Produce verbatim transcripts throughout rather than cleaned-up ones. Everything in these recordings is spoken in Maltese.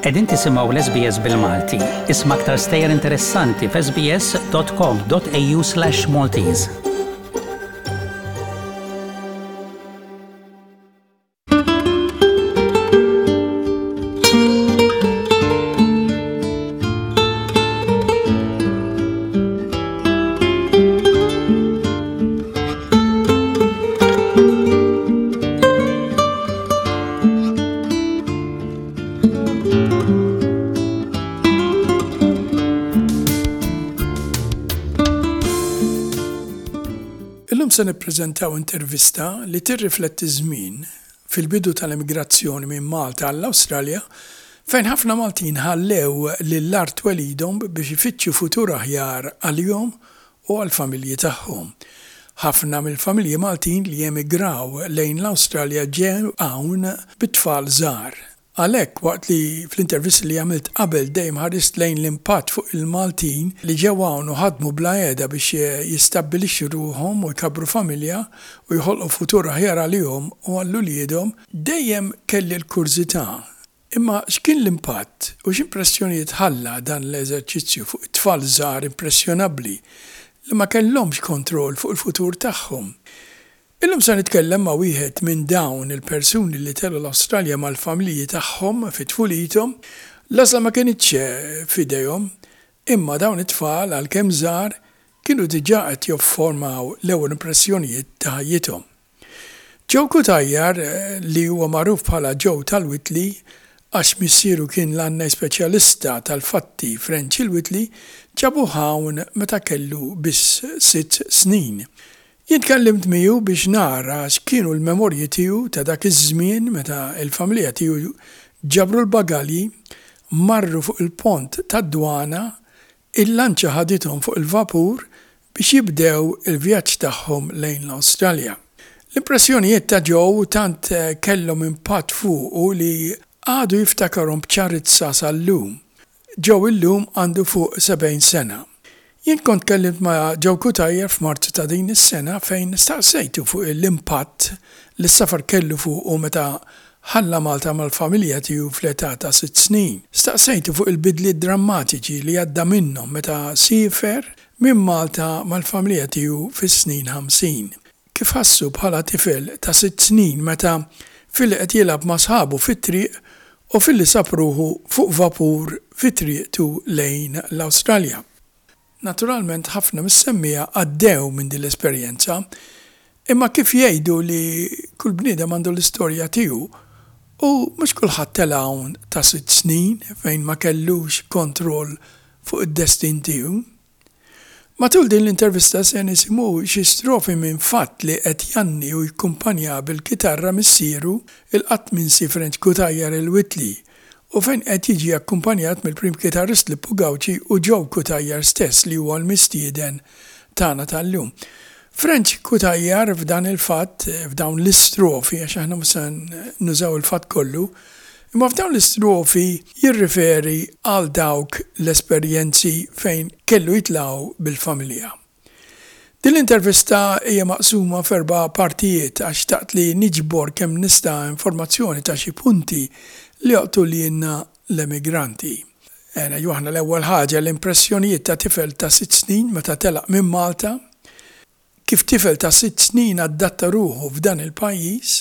Qegħdin tisimgħu l-S B S bil-Malti. Isma' aktar stejjer interessanti f'S B S dot com dot A U slash Maltese. Illum se nippreżentaw intervista li tirrifletti żmien fil-bidu tal-immigrazzjoni minn Malta għall-Awstralja, fejn ħafna Maltin ħallew lill-art twelidhom biex ifittxu futur aħjar għalihom u għall-familji tagħhom. Ħafna mill-familji Maltin li emigraw lejn l-Awstralja ġew hawn bit-tfal żgħar. Għalhekk, waqt li fl-intervisti li għamilt qabel dejjem ħarist lejn l-impatt fuq il-Maltin li ġew hawn u ħadmu bla heda biex jistabbilixxu ruħhom u jkabru familja u jħolqu futur aħjar għalihom u għal uliedhom, dejjem kelli l-kurżità. Imma x'kien l-impatt u x'impressjonijiet ħalla dan l-eżerċizzju fuq it-tfal żgħar impressjonabbli li ma kellhomx kontroll fuq il-futur tagħhom? Illum se nitkellem ma' wieħed minn dawn il-persuni li telgħu l-Awstralja mal-familji tagħhom fi tfulithom. L-għażla ma kinitx f'idejhom, imma dawn it-tfal, għalkemm żgħar, kienu diġà qed jifformaw l-ewwel impressjonijiet ta' ħajjithom. Joe Cutajar, li huwa magħruf bħala Joe tal-Whitley, għax missieru kien l-għannej speċjalista tal-fatti French il-Whitley, ġabu hawn meta kellu biss sitt snin. Jien tkellimt miegħu biex nara x'kienu l-memorji tiegħu ta' dak iż-żmien meta l-familja tiegħu ġabru l-bagalji, marru fuq il-pont tad-dwana, il-lanċa ħadithom fuq il-vapur biex jibdew il-vjaġġ tagħhom lejn l-Awstralja. L-impressjonijiet ta' Joe tant kellhom impatt fuqu li għadu jiftakarhom b'ċarizza sal-lum. Joe illum għandu fuq sebgħin sena. Jien kont kellimt ma' Joe Cutajar f'Marzu ta' din is-sena, fejn staqsejtu fuq l-impatt li s-safar kellu fuqu meta ħalla Malta mal-familja tiegħu fl-età ta' sitt snin. Staqsejtu fuq il-bidliet drammatiċi li għadda minnhom meta siefer minn Malta mal-familja tiegħu fis-snin ħamsin. Kif ħassu bħala tifel ta' sitt snin meta filli qed jilgħab ma' sħabu fit-triq u filli sab ruħu fuq vapur fi triqtu lejn l-Awstralja. Naturalment, ħafna mis-semmiegħa għaddew minn din l-esperjenza, imma kif jgħidu li kull bniedem għandu l-istorja tiegħu u mhux kulħadd tela' hawn ta' sitt snin fejn ma kellux kontroll fuq id-destin tiegħu. Matul din l-intervista se nisimgħu xi strofi minn fatt li qed jgħanni u jikkumpanja bil-kitarra missieru, il-qatt minsi French Cutajar il-Whitley, u fejn qed jiġi akkumpanjat mill-prim kitarrist Lippu Gauci u Joe Cutajar stess, li huwa l-mistieden tagħna tal-lum. French Cutajar f'dan il-fatt, f'dawn l-istrofi, għax aħna mhux se nużaw il-fatt kollu, imma f'dawn l-istrofi jirriferi għal dawk l-esperjenzi fejn kellu jitilgħu bil-familja. Din l-intervista hija maqsuma f'erba' partijiet għax xtaqt li niġbor kemm nista' informazzjoni ta' xi punti li jolqtu lilna l-emigranti. Ena aħna l-ewwel ħaġa l-impressjonijiet ta' tifel ta' sitt snin meta telaq minn Malta, kif tifel ta' sitt snin adatta ruħu f'dan il-pajjiż,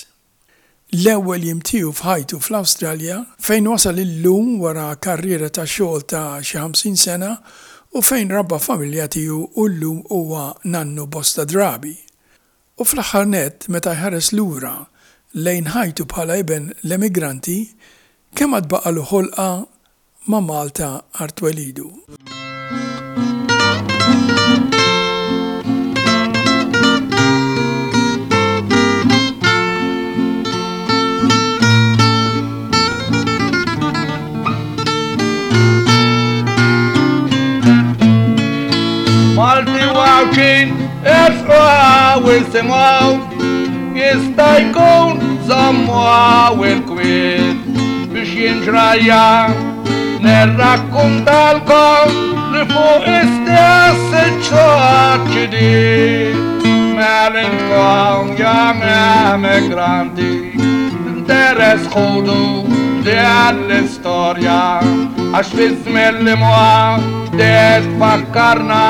l-ewwel jiem tiegħu f'ħajtu fl-Awstralja, fejn wasal illum wara karriera ta' xogħol ta' xi ħamsin sena u fejn rabba familja tiegħu u llum huwa nannu bosta drabi. U fl-aħħar net, meta jħares lura lejn ħajtu bħala iben l-emigranti, kemm għad baqalu ħolqa ma' Malta art twelidu. Malti u Għawdxin, ersqu isimgħu, jista' jkun żommu il-kwiet biex jien ġrajja nirrakkuntalkom li fuq istess iċ-ċoċidi. Mela intkom ja emigranti. B'interess ħudu din l-istorja għax fi żmien li mgħaddi tfakkarna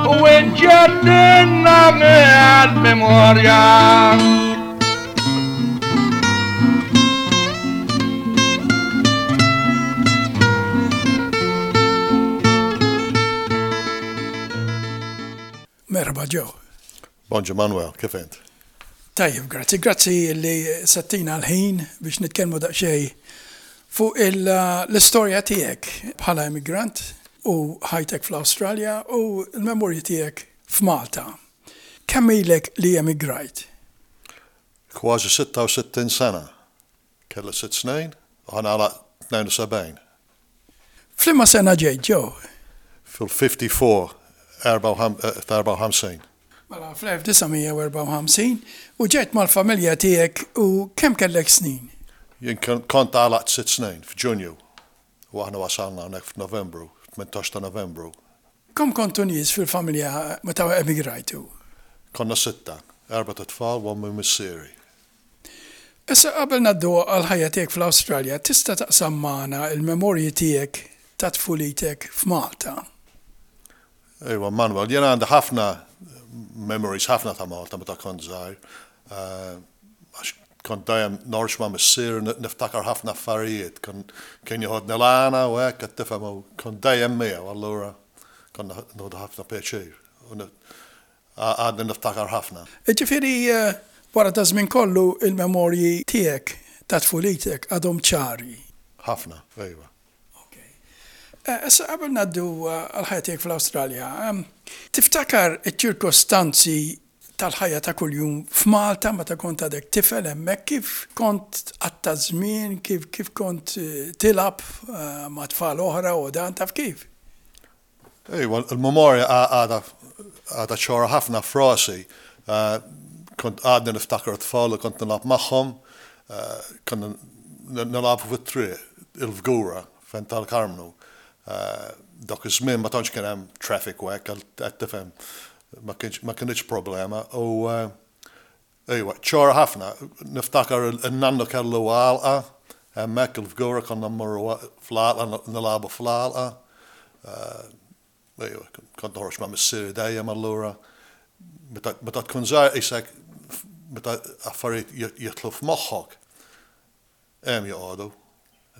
u ġġeddidilna mill-memorja. Merħba, Joe. Bonġu, Manuel, kif int? Tajjeb, grazzi. Grazzi li settina l-ħin biex nitkellmu daqsxejn fuq l-istorja tiegħek bħala immigrant u ħajtek fl-Awstralja u l-memorji tiegħek f'Malta. Kemm ilek li emigrajt? Kważi sitta u sittin sena. Kelli sitt snin u ħa nagħlaq tnejn u sebgħin. F'liema sena ġejt, Joe? Fil-ħamsa u erbgħin, erbgħa u ħamsin. Mela fl-elf disa' mija u erbgħa u ħamsin u ġejt mal-familja tiegħek u kemm kellek snin? Jien kont għalaqt sitt snin f'Ġunju u aħna wasalna hawnhekk f'Novembru, tmintax ta' Novembru. Kemm kontu nies fil-familja meta emigrajtu? Konna sitta, erbat itfal u ommi, missieri. Issa, qabel ngħaddu għal-ħajja tiegħek fl-Awstralja, tista' taqsam magħna il-memorji tiegħek ta' tfulitek f'Malta? Ejwa, Manuel, jena għandi ħafna memories, ħafna ta' Malta meta kont żgħir. Għax kont dejjem noħroġ ma' missieri, niftakar ħafna affarijiet. Kien joħodni l-għana u hekk, qed tifhem, u kont dejjem miegħu, allura konna nieħdu ħafna pjaċir. Għadni niftakar ħafna. Ġifieri wara da żmien kollu il-memorji tiegħek ta' tfulitek għadhom ċari. Ħafna, ejwa. Issa, qabel ngħaddu għal-ħajja tiegħek fl-Awstralja, tiftakar iċ-ċirkostanzi tal-ħajja ta' kuljum f'Malta meta kont għadek tifel hemmhekk, kif kont tqatta' żmien, kif kif kont tilgħab ma' tfal oħra u dan, taf kif? Ejwa, il-memorja għadha għadha ċara ħafna f'rasi. Kont għadni niftakar tfal u kont nilgħab magħhom, konna nilagħbu fit-triq, il-Fgura, fejn tal-Karmnu. Dak iż-żmien ma tantx kien hemm traffic u hekk, qed tifhem, ma kienx problema. U ejwa, ċara ħafna, niftakar il-nannu kellu għalqa, hemmhekk il-Fgura, konna mmorru fl-għalqa, nilagħbu fl-għalqa. Ejwa, kont noħroġ ma' missieri dejjem, allura. Meta tkun żgħir qisek meta affarijiet jidħlu f'moħħok, hemm joqogħdu,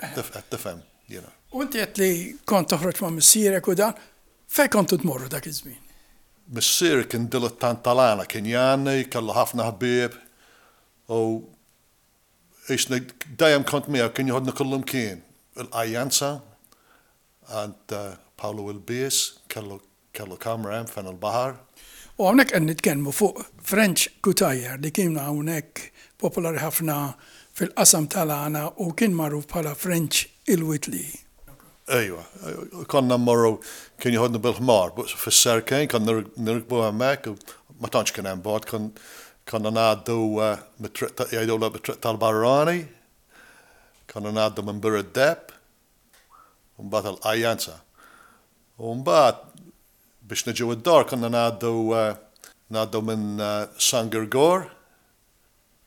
qed tifhem, you know. U inti għedt li kont toħroġ ma' missierek u dan, fejn kontu tmorru dak iż-żmien? Missieri kien dilettant tal-għana, kien jgħanni, kellu ħafna ħbieb u qisni dejjem kont miegħu, kien joħodni kullimkien. Il-Qajjanza, għand Paolo il-Bies, kellu kellu kamra hemm fejn il-baħar. U hawnhekk qed nitkellmu fuq French Cutajar li kien hawnhekk popolari ħafna fil-qasam tal-għana u kien magħruf bħala French il-Whitley. Ejwa, konna mmorru, kien joħodni bil-ħmar, fis-Serkejn, konna nirkbu hemmhekk, ma tantx kien hemm bogħod, konna ngħaddu mit-triq, jgħidu mit-triq tal-Barrani, konna ngħaddu minn Bir id-Deheb, u mbagħad il-Qajjanza. U mbagħad biex niġu id-dar konna ngħaddu ngħaddu minn San Girgor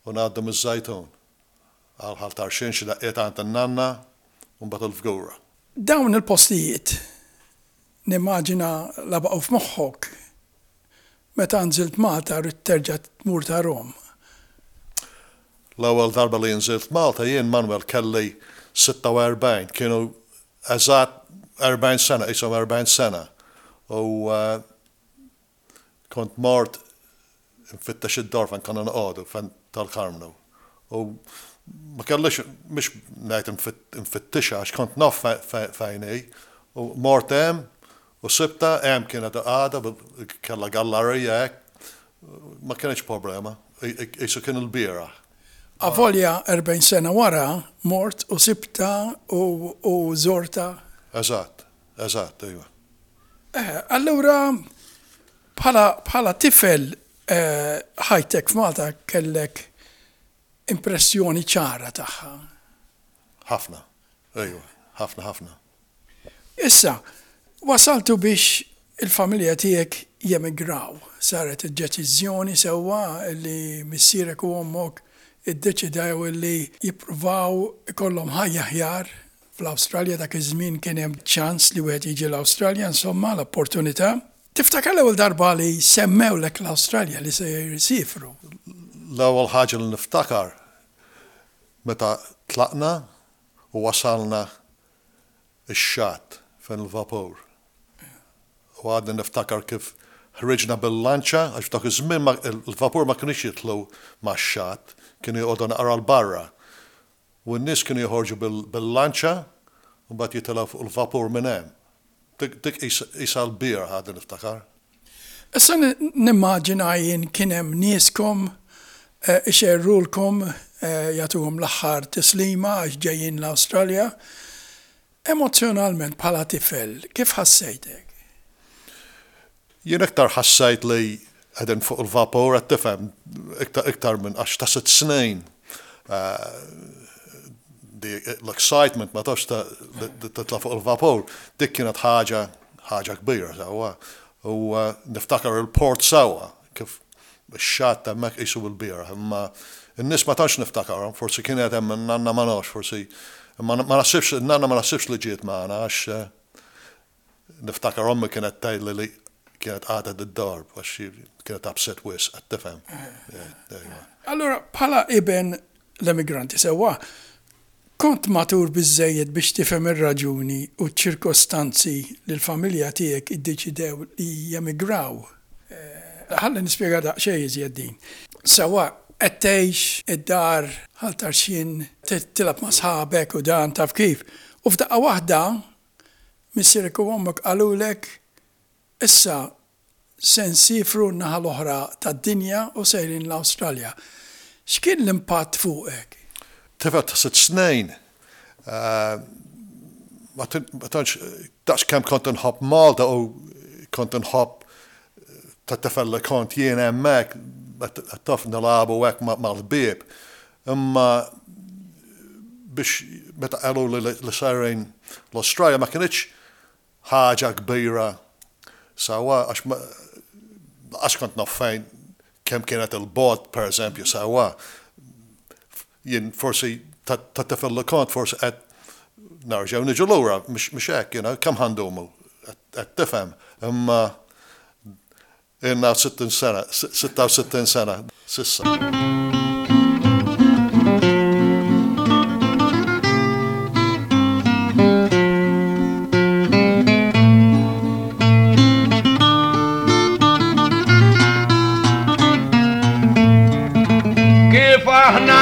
u ngħaddu miż-Żejtun. Għal Ħal Tarxien, xi daqqiet għand in-nanna u mbagħad il-Fgura. Dawn il-postijiet nimmaġina la baqgħu f'moħħok, meta nżilt Malta rrid terġa' tmur tarahom. L-ewwel darba li nżilt Malta jien, Manuel, kelli sitta u erbgħin, kienu eżatt erbgħin sena, qishom erbgħin sena. U kont mort nfittex id-dar fejn konna noqogħdu, fejn tal-Karmnu. U ma kellix, mhux ngħid nfittixha, għax kont naf fejn hi. U mort hemm u sibtha hemm, kienet għadha, kellha gallarija hekk. Ma kienx problema, qisu kien il-bieraħ. Avolja erbgħin sena wara mort u sibtha u, u żortha. Eżatt, eżatt, ejwa. Eh, allura bħala, bħala tifel eh, ħajtek f'Malta kellek impressjoni ċara tagħha. Ħafna, ejwa, ħafna ħafna. Issa, wasaltu biex il-familja tiegħek jemigraw. Saret id-deċiżjoni sewwa li missierek u ommok iddeċidew li jippruvaw ikollhom ħajja aħjar fl-Awstralja. Dak iż-żmien kien hemm ċans li wieħed jiġi l-Awstralja, insomma, l-opportunità. Tiftakar l-ewwel darba li semmewlek l-Awstralja, li se jsifru? L-ewwel ħaġa li niftakar meta tlaqna u wasalna ix-xatt fejn il-vapur. U għadni niftakar kif ħriġna bil-lanċa, għax f'dak iż-żmien il-vapur ma kienx jitlu max-xatt, kienu joqogħdu naqra 'l barra. U n-nies kienu joħorġu bil-lanċa u mbagħad jitilgħu fuq il-vapur minn hemm. Dik isa l-bir għadni niftakar. Issa nimmaġina jien kien hemm nieskom eh, ixerrulkom, eh, jagħtuhom l-aħħar tislima għax ġejjin l-Awstralja. Emozjonalment bħala tifel, kif ħassejtek? Jien iktar ħassejt li qegħdin fuq il-vapur, qed tifhem, iktar minn għax ta' sitt snin. L-excitement ma tafx titla' fuq il-vapur, dik kienet ħaġa ħaġa kbira sewwa. U niftakar il-port sewwa, kif ix-xatt hemmhekk qisu bil-bira, imma n-nies ma tantx niftakarhom, forsi kienet hemm nanna, ma nafx, forsi ma naħsibx, nanna ma naħsibx li ġiet magħna, għax niftakar ommi kienet tgħidli li kienet qagħdet id-dar għax kienet upset wisq, qed tifhem. Allora, bħala iben l-emigranti sewwa, kont matur biżżejjed biex tifhem ir-raġuni u ċ-ċirkostanzi li l-familja tiegħek iddeċidew li jemigraw. Ħalli nispjega daqsxejn iżjed din. Sewwa, qed tgħix id-dar Ħal Tarxien, tilgħab ma' sħabek u dan taf kif. U f'daqqa waħda missierek u ommok qalulek: "Issa se nsifru n-naħa l-oħra tad-dinja u sejrin l-Awstralja." X'kien l-impatt fuqek? Tifel ta' sitt snin, ma tantx daqs kemm kont inħobb Malta u kont inħobb ta' tifel li kont jien hemmhekk, taf, nilagħbu hekk mal-ħbieb. Imma biex meta qalu li sejrin l-Australia ma kinitx ħaġa kbira sewwa, għax għax kont naf fejn kemm kienet il-bogħod, per eżempju, sewwa. Jien forsi ta' tifel li kont forsi qed nerġgħu niġu lura, mhux hekk, you know, kemm ħa ndumu, qed tifhem. Imma ilna sittin sena, sitta u sittin sena s'issa. Kif aħna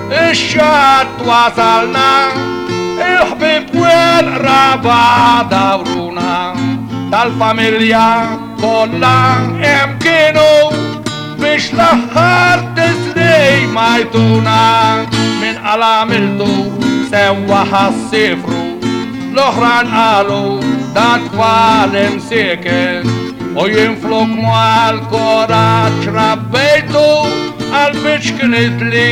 ix-xatt wasalna, il-ħbib u l-qraba dawruna, tal-familja kollha hemm kienu biex l-aħħar tislima jtuna. Min qal għamiltu sewwa ħa ssifru, l-oħrajn qalu dat-tfal imsieken, u jien flok mal-kuraġġ rabbejtu għal biex kienet li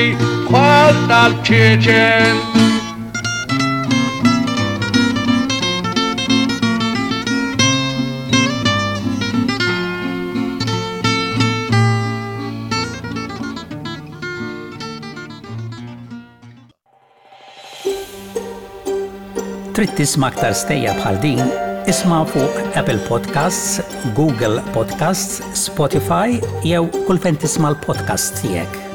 bħal tal-ċiċen. Trid tisma' aktar stejjer bħal din? Isma' fuq Apple Podcasts, Google Podcasts, Spotify jew kull fejn tisma' l-podcasts tiegħek.